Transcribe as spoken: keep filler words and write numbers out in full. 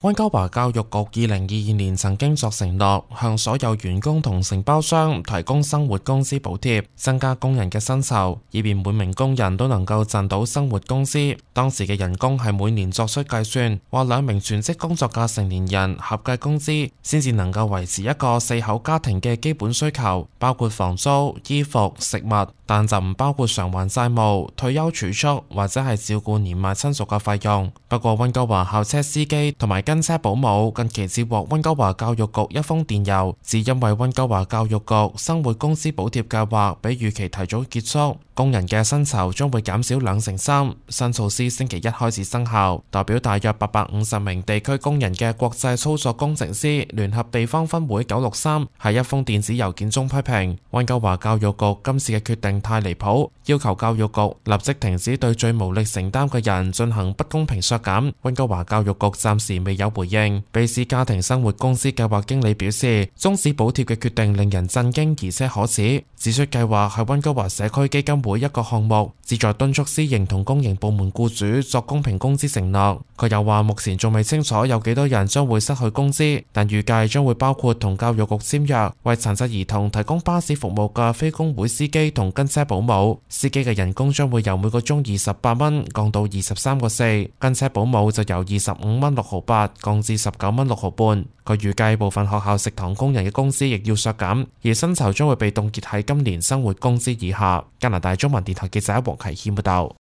溫哥華教育局二零二二年曾經作承諾，向所有員工同承包商提供生活工資補貼，增加工人嘅薪酬，以便每名工人都能夠賺到生活工資。當時嘅人工係每年作出計算，話兩名全職工作嘅成年人合計工資先至能夠維持一個四口家庭嘅基本需求，包括房租、衣服、食物，但就唔包括償還債務、退休儲蓄或者係照顧年邁親屬嘅費用。不過溫哥華校車司機同埋跟車保姆近期接獲溫哥華教育局一封電郵，只因為溫哥華教育局生活工資補貼計劃比預期提早結束，工人嘅薪酬將會減少兩成三。新措施星期一開始生效，代表大約八百五十名地區工人嘅國際操作工程師聯合地方分會九六三喺一封電子郵件中批評溫哥華教育局今次嘅決定太離譜，要求教育局立即停止對最無力承擔嘅人進行不公平削減。溫哥華教育局暫時未有回應。卑斯家庭生活工資計劃經理表示，終止補貼嘅決定令人震驚而且可恥，指出計劃係溫哥華社區基金會一個項目，旨在敦促私營同公營部門僱主作公平工資承諾。佢又話目前仲未清楚有幾多人將會失去工資，但預計將會包括同教育局簽約為殘疾兒童提供巴士服務嘅非工會司機同跟車保姆。司機嘅人工將會由每個鐘二十八蚊降到二十三個四，跟車保姆就由二十五蚊六毫八降至十九蚊六毫半。佢預計部分學校食堂工人嘅工資亦要削減，而薪酬將會被凍結喺今年生活工資以下。加拿大中文電台記者黃啟謙報道。